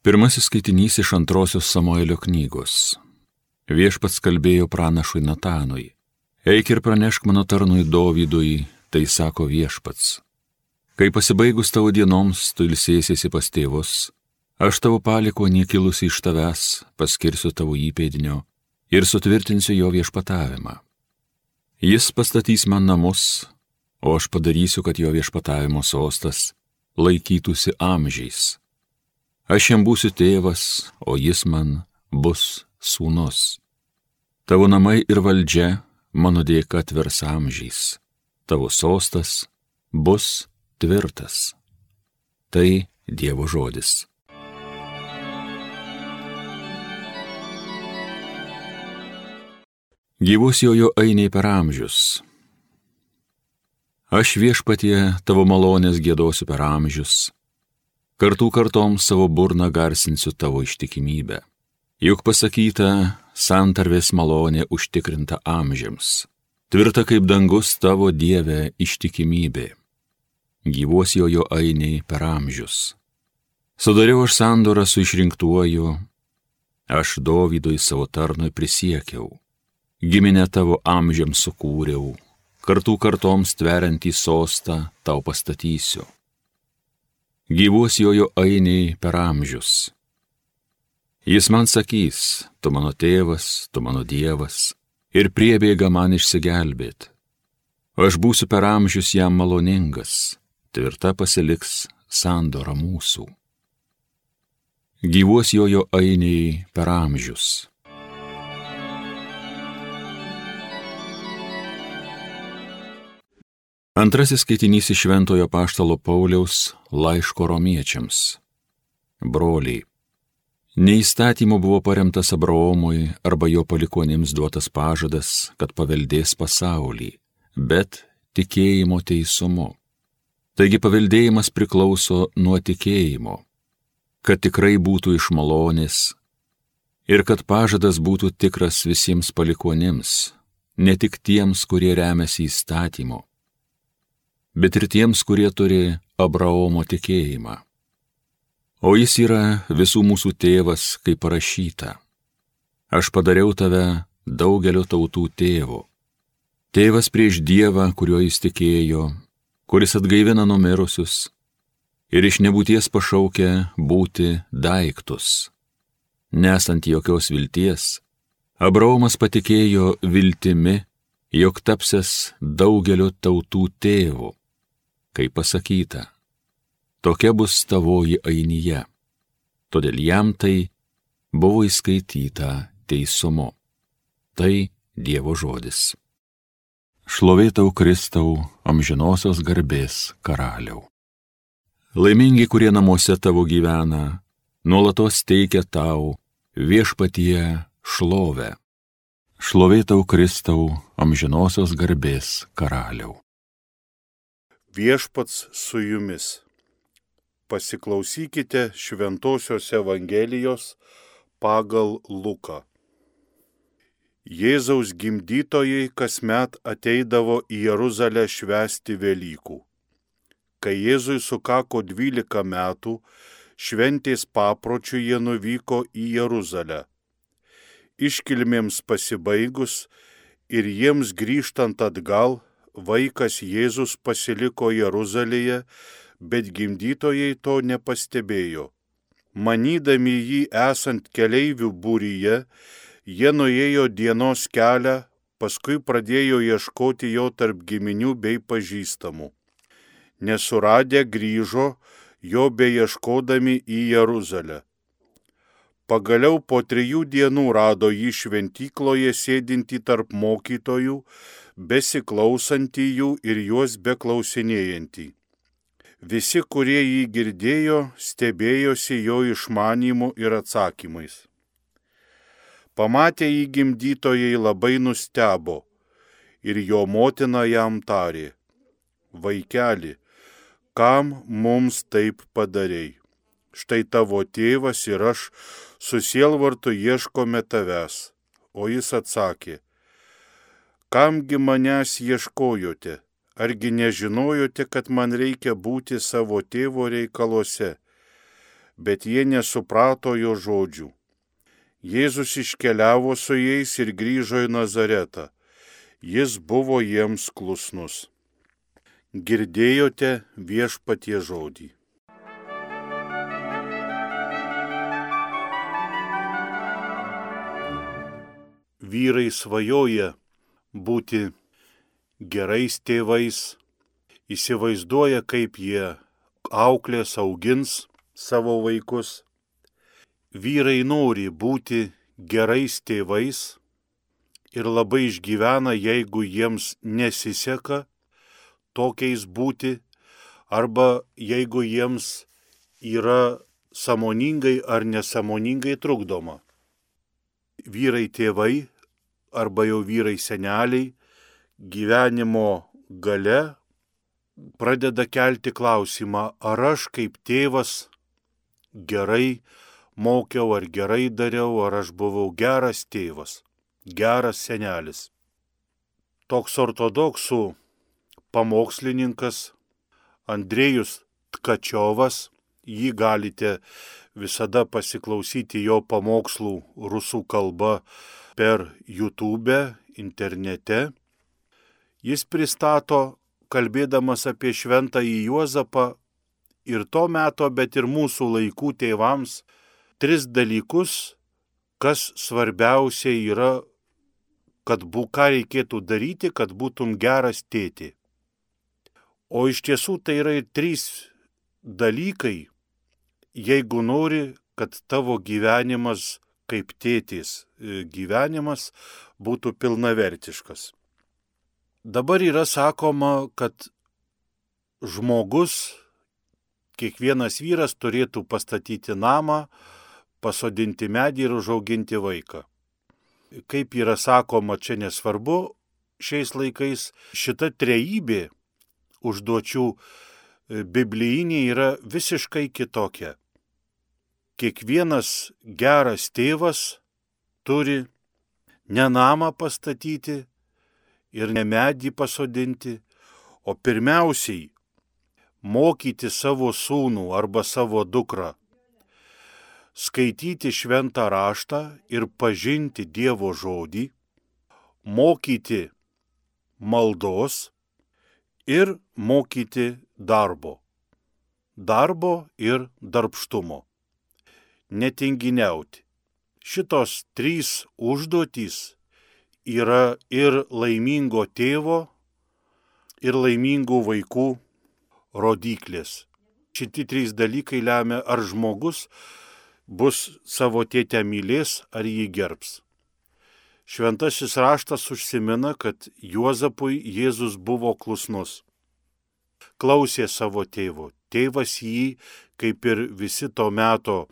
Pirmasis skaitinys iš antrosios Samuelio knygos. Viešpats kalbėjo pranašui Natanui. Eik ir pranešk mano tarnui Dovydui, tai sako Viešpats. Kai pasibaigus tavo dienoms, tu ilsėsiesi pas tėvus, aš tavo palikuonį kilusi iš tavęs paskirsiu tavo įpėdinio ir sutvirtinsiu jo viešpatavimą. Jis pastatys man namus, o aš padarysiu, kad jo viešpatavimo sostas laikytųsi amžiais. Aš jam būsiu tėvas, o jis man bus sūnus. Tavo namai ir valdžia mano dėka tvers amžiais. Tavo sostas bus tvirtas. Tai Dievo žodis. Gyvus jojo ainiai per amžius. Aš Viešpatie tavo malonės giedosiu per amžius. Kartų kartoms savo burną garsinsiu tavo ištikimybę. Juk pasakyta, santarvės malonė užtikrinta amžiams. Tvirta kaip dangus tavo Dieve ištikimybė. Gyvos jojo ainiai per amžius. Sudariau aš sandorą su išrinktuoju, aš Dovydui savo tarnui prisiekiau. Giminę tavo amžiams sukūriau, kartų kartoms tveriantį sostą tau pastatysiu. Gyvos jojo ainiai per amžius. Jis man sakys, tu mano tėvas, tu mano Dievas, ir priebėga man išsigelbėt. Aš būsiu per amžius jam maloningas, tvirta pasiliks sandora mūsų. Gyvos jojo ainiai per amžius. Antrasis skaitinys iš Šventojo apaštalo Pauliaus laiško romiečiams. Broliai, ne įstatymu buvo paremtas Abraomui arba jo palikuonims duotas pažadas, kad paveldės pasaulį, bet tikėjimo teisumu. Taigi paveldėjimas priklauso nuo tikėjimo, kad tikrai būtų iš malonės ir kad pažadas būtų tikras visiems palikuonims, ne tik tiems, kurie remiasi įstatymu, bet ir tiems, kurie turi Abraomo tikėjimą. O jis yra visų mūsų tėvas, kaip parašyta. Aš padariau tave daugelio tautų tėvu. Tėvas prieš Dievą, kuriuo jis tikėjo, kuris atgaivina numirusius ir iš nebūties pašaukia būti daiktus. Nesant jokios vilties, Abraomas patikėjo viltimi, jog tapsies daugelio tautų tėvu. Kaip pasakyta, tokia bus tavoji ainija. Todėl jam tai buvo įskaityta teisumu. Tai Dievo žodis. Šlovė tau, Kristau, amžinosios garbės karaliau. Laimingi, kurie namuose tavo gyvena, nuolatos teikia tau Viešpatie šlovę. Šlovė tau, Kristau, amžinosios garbės karaliau. Viešpats su jumis. Pasiklausykite Šventosios Evangelijos pagal Luką. Jėzaus gimdytojai kasmet ateidavo į Jeruzalę švęsti Velykų. Kai Jėzui sukako 12 metų, šventės papročiu jie nuvyko į Jeruzalę. Iškilmėms pasibaigus ir jiems grįžtant atgal, vaikas Jėzus pasiliko Jeruzalėje, bet gimdytojai to nepastebėjo. Manydami jį esant keleivių būryje, jie nuėjo dienos kelią, paskui pradėjo ieškoti jo tarp giminių bei pažįstamų. Nesuradę grįžo, jo beieškodami į Jeruzalę. Pagaliau po 3 dienų rado jį šventykloje sėdintį tarp mokytojų, besiklausantį jų ir juos beklausinėjantį. Visi, kurie jį girdėjo, stebėjosi jo išmanymu ir atsakymais. Pamatę jį gimdytojai labai nustebo ir jo motina jam tarė: Vaikeli, kam mums taip padarei? Štai tavo tėvas ir aš su sielvartu ieškome tavęs. O jis atsakė: Kamgi manęs ieškojote? Argi nežinojote, kad man reikia būti savo tėvo reikaluose? bet jie nesuprato jo žodžių. Jėzus iškeliavo su jais ir grįžo į Nazaretą. Jis buvo jiems klusnus. Girdėjote Viešpaties žodį. Vyrai svajoja būti gerais tėvais, įsivaizduoja, kaip jie auklės, augins savo vaikus. Vyrai nori būti gerais tėvais ir labai išgyvena, jeigu jiems nesiseka tokiais būti, arba jeigu jiems yra sąmoningai ar nesąmoningai trukdoma. Vyrai tėvai arba jau vyrai seneliai gyvenimo gale pradeda kelti klausimą, ar aš kaip tėvas gerai mokiau, ar gerai dariau, ar aš buvau geras tėvas, geras senelis. Toks ortodoksų pamokslininkas Andrėjus Tkačiovas, jį galite visada pasiklausyti jo pamokslų rusų kalba per YouTube, internete. Jis pristato, kalbėdamas apie šventąjį Juozapą ir to meto, bet ir mūsų laikų tėvams, 3 dalykus, kas svarbiausia yra, ką reikėtų daryti, kad būtum geras tėti. O iš tiesų tai yra ir 3 dalykai, jeigu nori, kad tavo gyvenimas kaip tėtis gyvenimas būtų pilnavertiškas. Dabar yra sakoma, kad žmogus, kiekvienas vyras turėtų pastatyti namą, pasodinti medį ir užauginti vaiką. Kaip yra sakoma, čia nesvarbu, šiais laikais šita trejybė užduočių biblijinė yra visiškai kitokia. Kiekvienas geras tėvas turi ne namą pastatyti ir ne medį pasodinti, o pirmiausiai mokyti savo sūnų arba savo dukrą, skaityti šventą raštą ir pažinti Dievo žodį, mokyti maldos ir mokyti darbo ir darbštumo. Netinginiauti. Šitos 3 užduotys yra ir laimingo tėvo, ir laimingų vaikų rodiklės. Šitie 3 dalykai lemia, ar žmogus bus savo tėtę mylės, ar jį gerbs. Šventasis raštas užsimena, kad Juozapui Jėzus buvo klusnus. Klausė savo tėvo. Tėvas jį, kaip ir visi to meto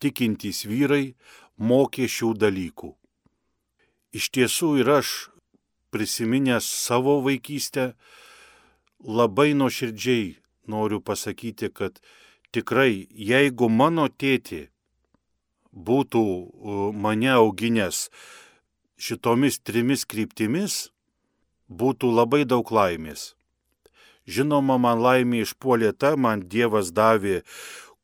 tikintys vyrai, mokė šių dalykų. Iš tiesų ir aš, prisiminęs savo vaikystę, labai nuoširdžiai noriu pasakyti, kad tikrai, jeigu mano tėtė būtų mane auginęs šitomis 3 kryptimis, būtų labai daug laimės. Žinoma, man laimė išpuolė ta, man Dievas davė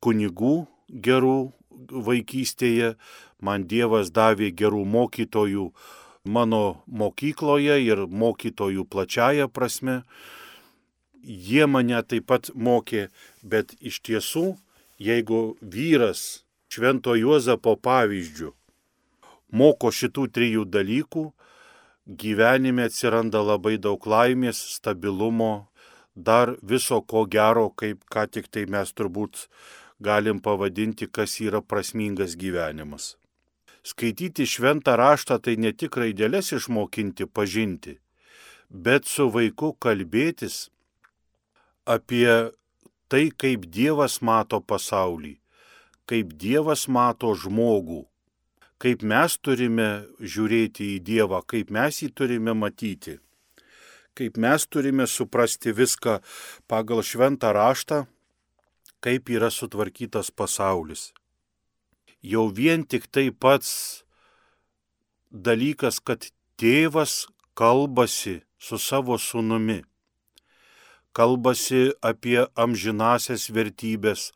kunigų gerų vaikystėje, man Dievas davė gerų mokytojų mano mokykloje ir mokytojų plačiaja prasme. Jie mane taip pat mokė, bet iš tiesų, jeigu vyras Švento Juozapo pavyzdžiu moko šitų 3 dalykų, gyvenime atsiranda labai daug laimės, stabilumo, dar viso ko gero, kaip ką tik tai mes turbūt galim pavadinti, kas yra prasmingas gyvenimas. Skaityti šventą raštą tai ne tik raideles išmokinti, pažinti, bet su vaiku kalbėtis apie tai, kaip Dievas mato pasaulį, kaip Dievas mato žmogų, kaip mes turime žiūrėti į Dievą, kaip mes jį turime matyti, kaip mes turime suprasti viską pagal šventą raštą, kaip yra sutvarkytas pasaulis. Jau vien tik tai pats dalykas, kad tėvas kalbasi su savo sūnumi, kalbasi apie amžinasias vertybės,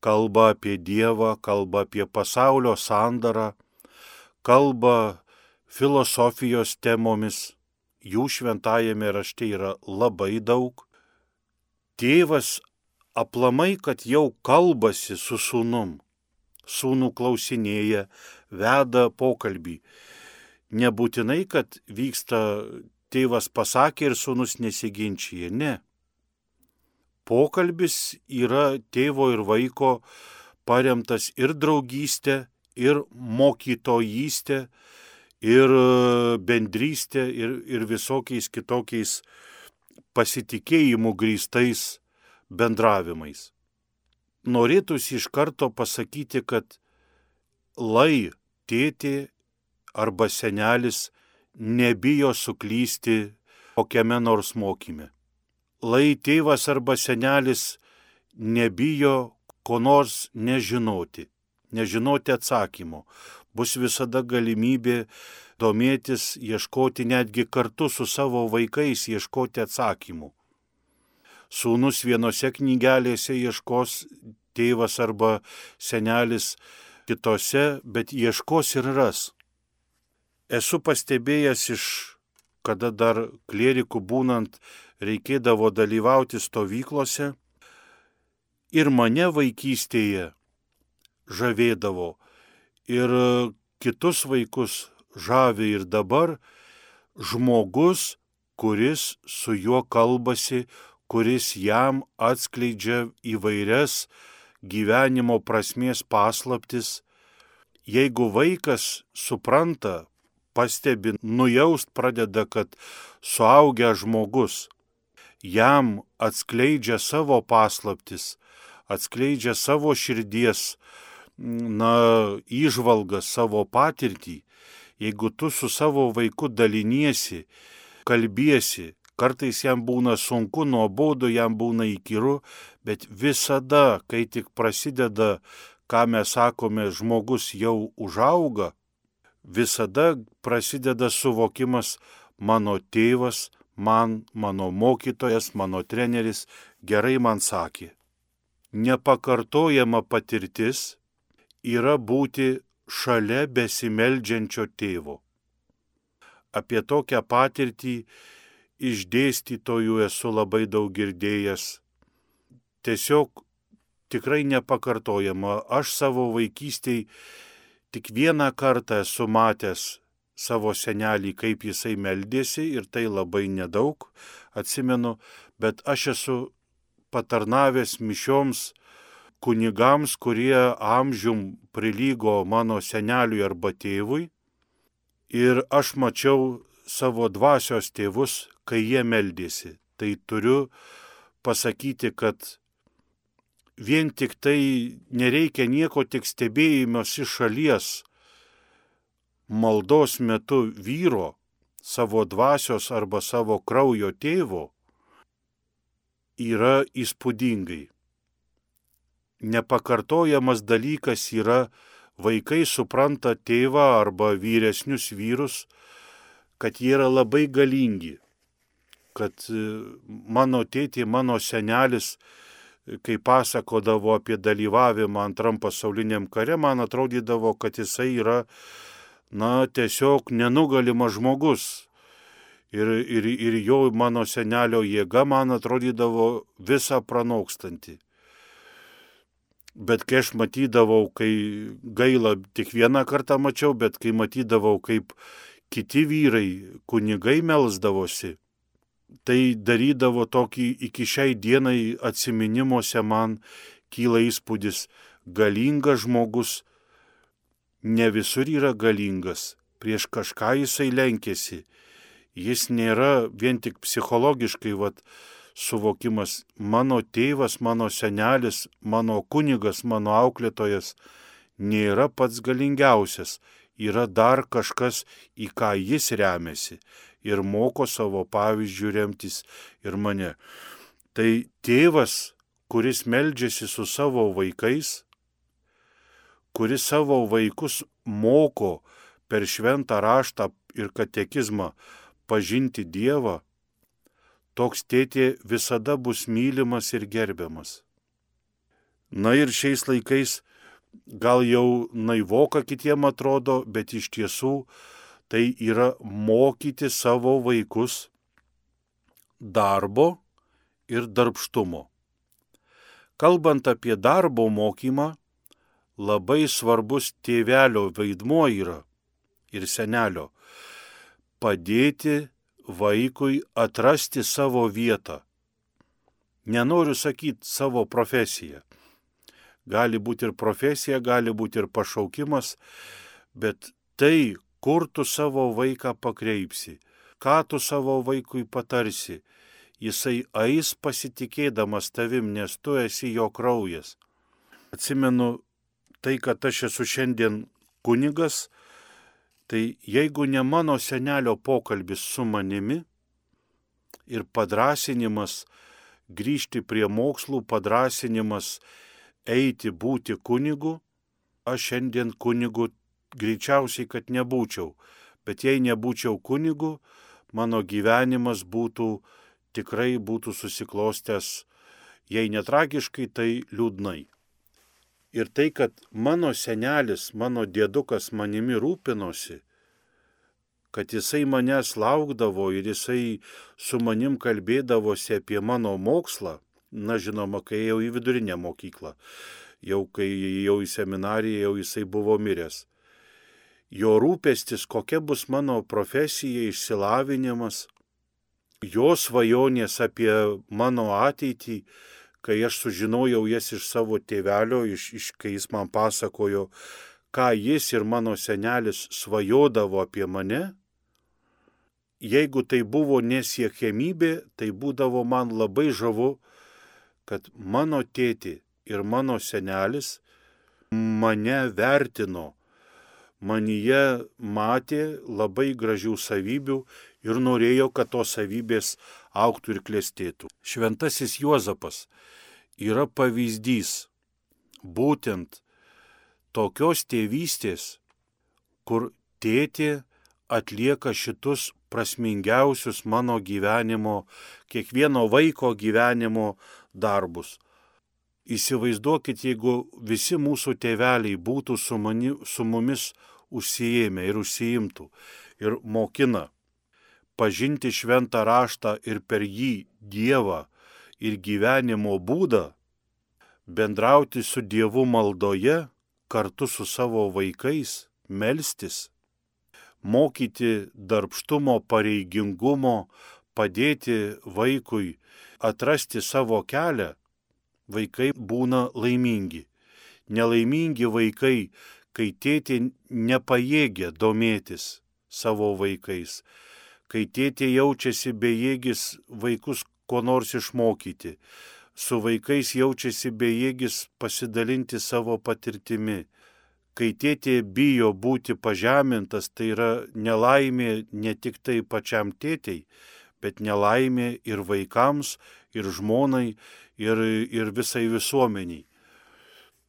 kalba apie Dievą, kalba apie pasaulio sandarą, kalba filosofijos temomis. Jų šventajame rašte yra labai daug. Tėvas aplamai, kad jau kalbasi su sūnum, sūnų klausinėja, veda pokalbį. Nebūtinai, kad vyksta tėvas pasakė ir sūnus nesiginčyje, ne. Pokalbis yra tėvo ir vaiko paremtas ir draugystė, ir mokytojystė, ir bendrystė, ir visokiais kitokiais pasitikėjimų grįstais bendravimais. Norėtųsi iš karto pasakyti, kad lai tėtė arba senelis nebijo suklysti kokiame nors mokyme. Lai tėvas arba senelis nebijo ko nors nežinoti atsakymo. Bus visada galimybė domėtis, ieškoti netgi kartu su savo vaikais, ieškoti atsakymų. Sūnus vienose knygelėse ieškos, tėvas arba senelis kitose, bet ieškos ir ras. Esu pastebėjęs kada dar klierikų būnant reikėdavo dalyvauti stovyklose, ir mane vaikystėje žavėdavo, ir kitus vaikus žavi ir dabar žmogus, kuris su juo kalbasi, kuris jam atskleidžia įvairias gyvenimo prasmės paslaptis. Jeigu vaikas supranta, pastebi, nujaust pradeda, kad suaugęs žmogus jam atskleidžia savo paslaptis, atskleidžia savo širdies įžvalgas, savo patirtį. Jeigu tu su savo vaiku daliniesi, kalbiesi, kartais jam būna sunku, nuobodu, jam būna įkyru, bet visada, kai tik prasideda, ką mes sakome, žmogus jau užauga, visada prasideda suvokimas: mano tėvas, mano mokytojas, mano treneris gerai man sakė. Nepakartojama patirtis yra būti šalia besimeldžiančio tėvo. Apie tokią patirtį iš dėstytojų esu labai daug girdėjęs. Tiesiog tikrai nepakartojama. Aš savo vaikystėj tik vieną kartą esu matęs savo senelį, kaip jisai meldėsi, ir tai labai nedaug atsimenu, bet aš esu patarnavęs mišioms kunigams, kurie amžium prilygo mano seneliui arba tėvui, ir aš mačiau savo dvasios tėvus, kai jie meldėsi. Tai turiu pasakyti, kad vien tik tai nereikia nieko, tik stebėjimas iš šalies maldos metu vyro, savo dvasios arba savo kraujo tėvo, yra įspūdingai. Nepakartojamas dalykas yra, vaikai supranta tėvą arba vyresnius vyrus, kad jie yra labai galingi, kad mano tėtė, mano senelis, kai pasakodavo apie dalyvavimą Antram pasauliniam kare, man atrodydavo, kad jisai yra, tiesiog nenugalimas žmogus. Ir jo, mano senelio jėga, man atrodydavo visą pranokstanti. Bet kai aš matydavau, kai gaila, tik vieną kartą mačiau, bet kai matydavau, kaip kiti vyrai, kunigai melsdavosi, tai darydavo tokį iki šiai dienai atsiminimuose man kyla įspūdis: galingas žmogus ne visur yra galingas, prieš kažką jisai lenkėsi. Jis nėra vien tik psichologiškai suvokimas: mano tėvas, mano senelis, mano kunigas, mano auklėtojas nėra pats galingiausias, yra dar kažkas, į ką jis remiasi ir moko savo pavyzdžių remtis ir mane. Tai tėvas, kuris meldžiasi su savo vaikais, kuris savo vaikus moko per šventą raštą ir katekizmą pažinti Dievą, toks tėtė visada bus mylimas ir gerbiamas. Na ir šiais laikais gal jau naivoka kitiem atrodo, bet iš tiesų tai yra mokyti savo vaikus darbo ir darbštumo. Kalbant apie darbo mokymą, labai svarbus tėvelio vaidmuo yra ir senelio padėti vaikui atrasti savo vietą. Nenoriu sakyti savo profesiją. Gali būti ir profesija, gali būti ir pašaukimas, bet tai, kur tu savo vaiką pakreipsi, ką tu savo vaikui patarsi, jisai eis pasitikėdamas tavim, nes tu esi jo kraujas. Atsimenu tai, kad aš esu šiandien kunigas, tai jeigu ne mano senelio pokalbis su manimi ir padrasinimas grįžti prie mokslų, padrasinimas eiti būti kunigu, aš šiandien kunigu greičiausiai, kad nebūčiau. Bet jei nebūčiau kunigu, mano gyvenimas tikrai būtų susiklostęs, jei netragiškai, tai liūdnai. Ir tai, kad mano senelis, mano dėdukas manimi rūpinosi, kad jisai manęs laukdavo ir jisai su manim kalbėdavosi apie mano mokslą, na žinoma, kai ėjau į vidurinę mokyklą, kai ėjau į seminariją, jau jisai buvo miręs. Jo rūpestis, kokia bus mano profesija, išsilavinimas, jo svajonės apie mano ateitį, kai aš sužinojau jas iš savo tėvelio, kai jis man pasakojo, ką jis ir mano senelis svajodavo apie mane, jeigu tai buvo nesiekiamybė, tai būdavo man labai žavu, kad mano tėtė ir mano senelis mane vertino, manyje matė labai gražių savybių ir norėjo, kad tos savybės augtų ir klestėtų. Šventasis Juozapas yra pavyzdys būtent tokios tėvystės, kur tėtė atlieka šitus prasmingiausius mano gyvenimo, kiekvieno vaiko gyvenimo darbus. Įsivaizduokit, jeigu visi mūsų tėveliai būtų su mumis užsiėmę ir užsiimtų ir mokina pažinti šventą raštą ir per jį Dievą ir gyvenimo būdą, bendrauti su Dievu maldoje, kartu su savo vaikais, melstis, mokyti darbštumo, pareigingumo, padėti vaikui atrasti savo kelią, vaikai būna laimingi. Nelaimingi vaikai, kai tėtė nepajėgia domėtis savo vaikais, kai tėtė jaučiasi bejėgis vaikus ko nors išmokyti, su vaikais jaučiasi bejėgis pasidalinti savo patirtimi. Kai tėtė bijo būti pažemintas, tai yra nelaimė ne tik tai pačiam tėtei, bet nelaimė ir vaikams, ir žmonai, ir visai visuomeniai.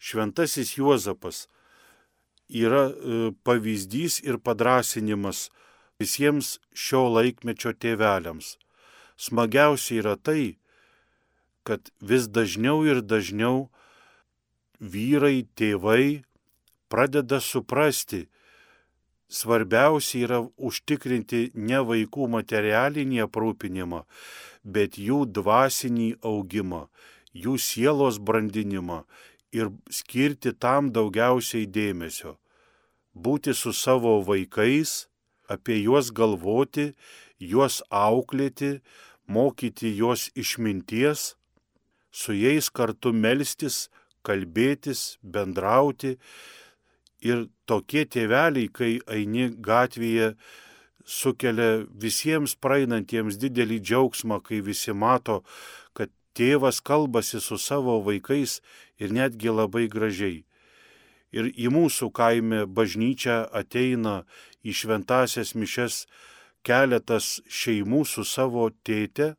Šventasis Juozapas yra pavyzdys ir padrąsinimas visiems šio laikmečio tėveliams. Smagiausia yra tai, kad vis dažniau ir dažniau vyrai, tėvai pradeda suprasti, svarbiausia yra užtikrinti ne vaikų materialinį aprūpinimą, bet jų dvasinį augimą, jų sielos brandinimą ir skirti tam daugiausiai dėmesio. Būti su savo vaikais, apie juos galvoti, juos auklėti, mokyti juos išminties, su jais kartu melstis, kalbėtis, bendrauti. Ir tokie tėveliai, kai eini gatvėje, sukelia visiems praeinantiems didelį džiaugsmą, kai visi mato, kad tėvas kalbasi su savo vaikais ir netgi labai gražiai. Ir į mūsų kaime bažnyčią ateina į šventąsias mišias keletas šeimų su savo tėte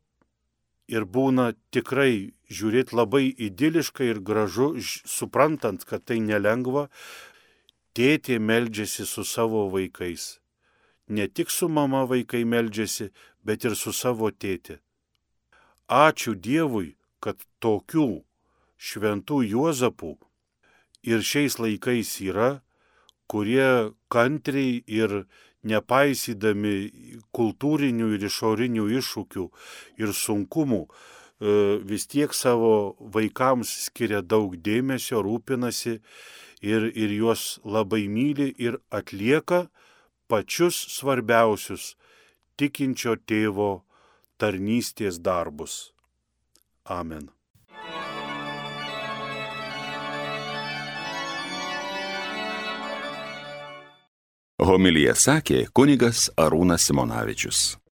ir būna tikrai žiūrėti labai idiliškai ir gražu, suprantant, kad tai nelengva. Tėtė meldžiasi su savo vaikais. Ne tik su mama vaikai meldžiasi, bet ir su savo tėtė. Ačiū Dievui, kad tokių šventų Juozapų ir šiais laikais yra, kurie kantriai ir nepaisydami kultūrinių ir išorinių iššūkių ir sunkumų vis tiek savo vaikams skiria daug dėmesio, rūpinasi ir juos labai myli ir atlieka pačius svarbiausius tikinčio tėvo tarnystės darbus. Amen. Homiliją sakė kunigas Arūnas Simonavičius.